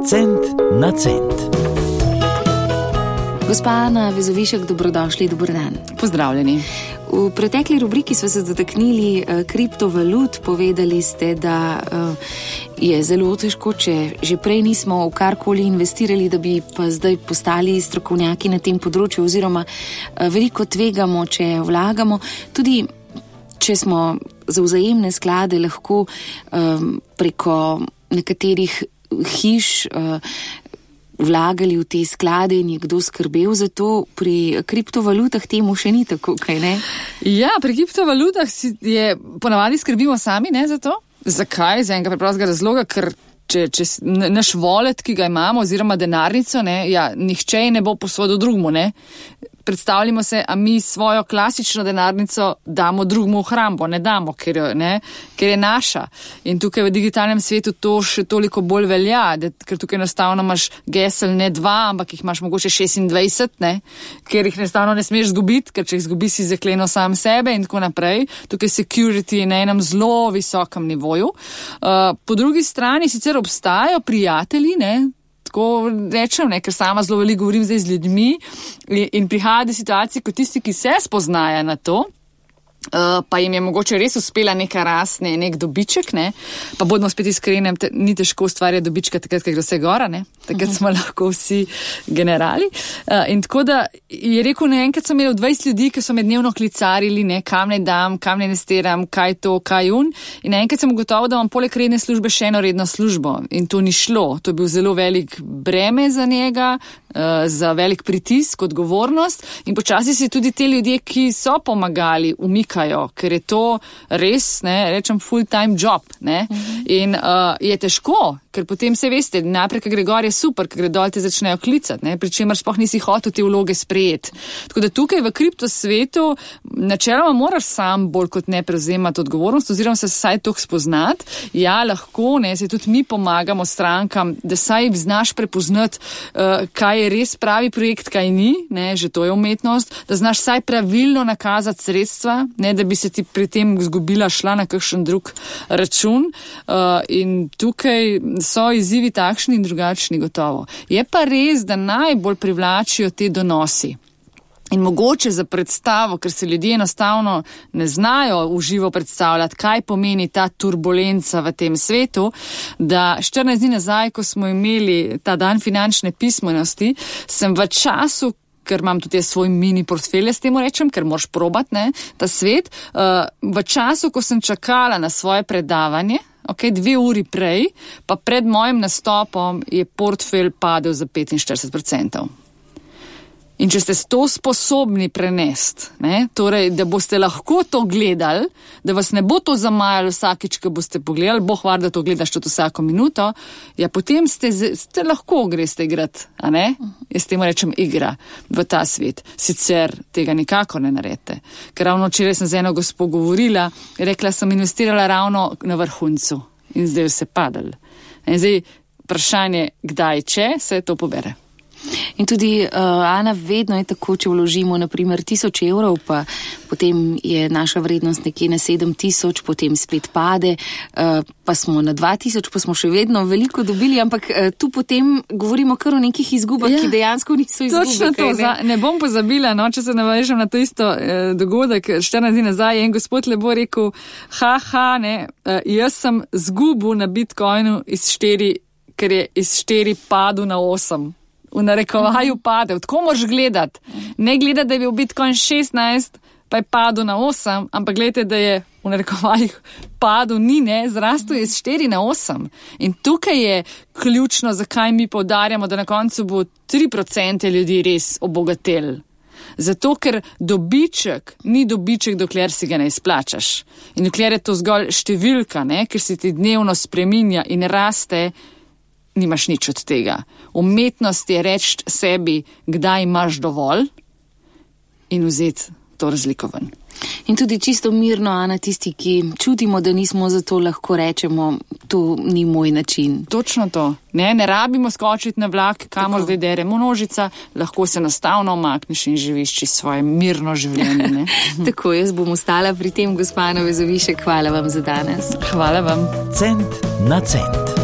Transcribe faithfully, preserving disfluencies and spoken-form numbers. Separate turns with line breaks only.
Cent na cent.
Gospa Ana Vezovišek, dobrodošli, dober dan.
Pozdravljeni.
V pretekli rubriki smo se dotaknili uh, kriptovalut, povedali ste, da uh, je zelo težko, če že prej nismo v karkoli investirali, da bi pa zdaj postali strokovnjaki na tem področju, oziroma uh, veliko tvegamo, če vlagamo. Tudi če smo za vzajemne sklade lahko um, preko nekaterih hiš uh, vlagali v te sklade in je kdo skrbel za to, pri kriptovalutah temu še ni tako, kaj ne?
Ja, pri kriptovalutah je ponavadi skrbimo sami, ne, za to. Zakaj? Z enega preprostega razloga, ker če, če naš wallet, ki ga imamo, oziroma denarnico, ne, ja, nihče ne bo posodil drugmu, ne. Predstavljamo se, a mi svojo klasično denarnico damo drugmu v hrambo, ne damo, ker, ne, ker je naša. In tukaj v digitalnem svetu to še toliko bolj velja, da, ker tukaj enostavno imaš gesel ne dva, ampak jih imaš mogoče šestindvajset, ne, ker jih enostavno ne smeš zgubiti, ker če jih zgubi si zakleno sam sebe in tako naprej. Tukaj security je na enem zelo visokem nivoju. Uh, po drugi strani sicer obstajajo prijatelji, ne, tako rečem, ne, ker sama zelo veliko govorim zdaj z ljudmi in, in prihaja do situacije, kot tisti, ki se spoznajo na to, uh, pa jim je mogoče res uspela neka rast, ne, nek dobiček, ne, pa bodimo spet iskreni, te, ni težko ustvarjati dobička takrat, ker gre vse gora, ne, takrat uh-huh. smo lahko vsi generali. Uh, in tako da je rekel, ne, enkrat so imeli dvajset ljudi, ki so me dnevno klicarili, ne, kam ne dam, kam ne investiram, kaj to, kaj un. In enkrat sem ugotovil, da imam poleg redne službe še eno redno službo. In to ni šlo. To je bil zelo velik breme za njega, uh, za velik pritisk, odgovornost. In počasi se tudi te ljudje, ki so pomagali, umikajo, ker je to res, ne, rečem, full-time job, ne. Uh-huh. In uh, je težko, ker potem se veste, naprej, ker gre gor je super, ker gre dol te začnejo klicati, ne, pri čemer sploh nisi hotel te vloge sprejeti. Tako da tukaj v kripto svetu načeloma moraš sam bolj kot ne prevzemati odgovornost, oziroma se saj toh spoznati. Ja, lahko, ne, se tudi mi pomagamo strankam, da saj znaš prepoznati, uh, kaj je res pravi projekt, kaj ni, ne, že to je umetnost, da znaš saj pravilno nakazati sredstva, ne, da bi se ti pri tem zgubila šla na kakšen drug račun. Uh, in tukaj so izzivi takšni in drugačni gotovo. Je pa res, da najbolj privlačijo te donosi. In mogoče za predstavo, ker se ljudje enostavno ne znajo v živo predstavljati, kaj pomeni ta turbulenca v tem svetu, da štirinajst dni nazaj, ko smo imeli ta dan finančne pismenosti, sem v času, ker imam tudi svoj mini portfelje, s tem rečem, ker moraš probati, ne, ta svet, uh, v času, ko sem čakala na svoje predavanje, ok, dve uri prej, pa pred mojim nastopom je portfelj padel za petinštirideset procentov. In če ste to sposobni prenesti, ne, torej, da boste lahko to gledali, da vas ne bo to zamajalo vsakič, ko boste pogledali, boh var, da to gledaš tudi vsako minuto, ja, potem ste, ste lahko greste igrati, a ne? Jaz temu rečem igra v ta svet. Sicer tega nikako ne naredite. Ker ravno včeraj sem z eno gospo govorila, rekla sem, investirala ravno na vrhuncu in zdaj vse padal. In zdaj vprašanje, kdaj, če se to pobere.
In tudi, uh, Ana, vedno je tako, če vložimo naprimer tisoč evrov, pa potem je naša vrednost nekje na sedem tisoč, potem spet pade, uh, pa smo na dva tisoč, pa smo še vedno veliko dobili, ampak uh, tu potem govorimo kar o nekih izgubah, ja, ki dejansko niso izgube.
Točno to, ne? Za, ne bom pozabila, no, če se navežem na to isto eh, dogodek, štirinajst dni nazaj je en gospod lepo rekel, ha, ha, ne, uh, jaz sem zgubil na Bitcoinu iz štiri, ker je iz štiri padel na osem. V narekovaju padel. Tako moraš gledati. Ne gledati, da je bil Bitcoin šestnajst, pa je padel na osem, ampak gledajte, da je v narekovajih padel, ni, ne, zrastel je iz štiri na osem. In tukaj je ključno, zakaj mi poudarjamo, da na koncu bo tri procente ljudi res obogatel. Zato, ker dobiček ni dobiček, dokler si ga ne izplačaš. In dokler je to zgolj številka, ne, ker si ti dnevno spreminja in raste, nimaš nič od tega. Umetnost je reči sebi, kdaj imaš dovolj in vzeti to razliko ven.
In tudi čisto mirno, Ana, tisti, ki čutimo, da nismo, zato lahko rečemo, to ni moj način.
Točno to. Ne, ne rabimo skočiti na vlak, kamor zdaj deremo nožica, lahko se enostavno omakneš in živiš svoje mirno življenje. Ne?
Tako, jaz bom ostala pri tem, gospa Ana Vezovišek, hvala vam za danes.
Hvala vam.
Cent na cent.